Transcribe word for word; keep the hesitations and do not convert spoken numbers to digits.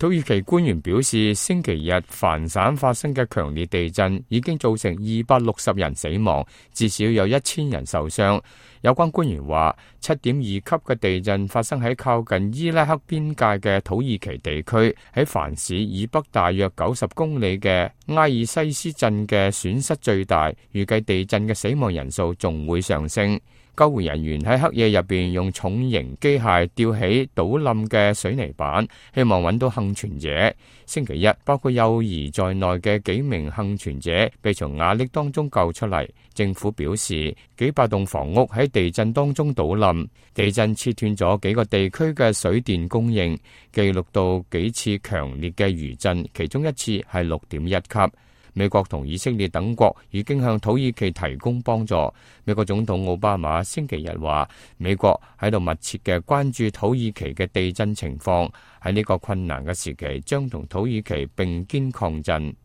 土耳其官員表示，星期日凡省發生嘅強烈地震已經造成二百六十人死亡，至少有一千人受傷。有關官員話，七點二級嘅地震發生喺靠近伊拉克邊界嘅土耳其地區，喺凡市以北大約九十公里嘅埃爾西斯鎮嘅損失最大，預計地震嘅死亡人數仲會上升。救援人員喺黑夜入邊用重型機械吊起倒冧嘅水泥板，希望揾到幸存者。星期一，包括幼兒在內嘅幾名幸存者被從瓦礫當中救出嚟。政府表示，幾百棟房屋喺地震當中倒冧，地震切斷咗幾個地區嘅水電供應，記錄到幾次強烈嘅餘震，其中一次係六點一級。美國同以色列等國已經向土耳其提供幫助。美國總統奧巴馬星期日話，美國喺度密切嘅關注土耳其嘅地震情況，喺呢個困難嘅時期，將同土耳其並肩抗震。